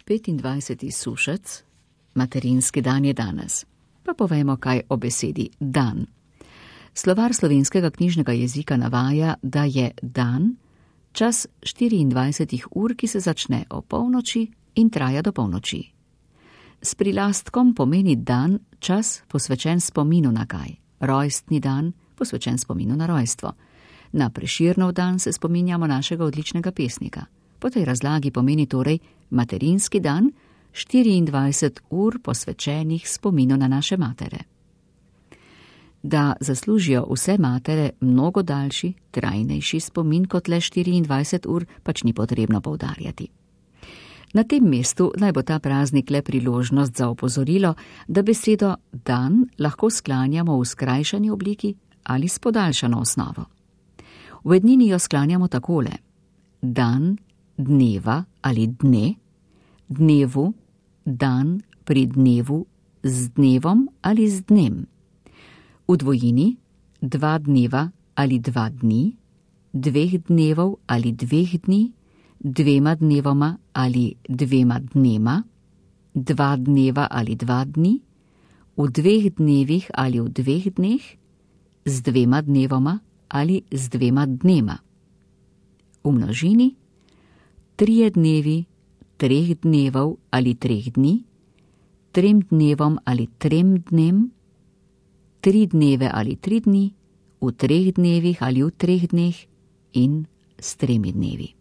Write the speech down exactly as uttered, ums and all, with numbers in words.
petindvajseti sušec, materinski dan je danes. Pa povejmo kaj o besedi dan. Slovar slovenskega knjižnega jezika navaja, da je dan čas štiriindvajsetih ur, ki se začne o polnoči in traja do polnoči. S prilastkom pomeni dan čas posvečen spominu na kaj. Rojstni dan posvečen spominu na rojstvo. Na Prešernov dan se spominjamo našega odličnega pesnika. Po tej razlagi pomeni torej materinski dan štiriindvajset ur posvečenih spominu na naše matere. Da zaslužijo vse matere mnogo daljši, trajnejši spomin kot le štiriindvajset ur, pač ni potrebno poudarjati. Na tem mestu naj bo ta praznik le priložnost za opozorilo, da besedo dan lahko sklanjamo v skrajšani obliki ali s podaljšano osnovo. V ednini jo sklanjamo takole: dan, dneva ali dne, dnevu, dan pri dnevu, z dnevom ali z dnem. V dvojini dva dneva ali dva dni, dveh dnevov ali dveh dni, dvema dnevoma ali dvema dnema, dva dneva ali dva dni, v dveh dnevih ali v dveh dneh, z dvema dnevoma ali z dvema dnema. V množini trije dnevi, treh dnevov ali treh dni, trem dnevom ali trem dnem, tri dneve ali tri dni, v treh dnevih ali v treh dneh in s tremi dnevi.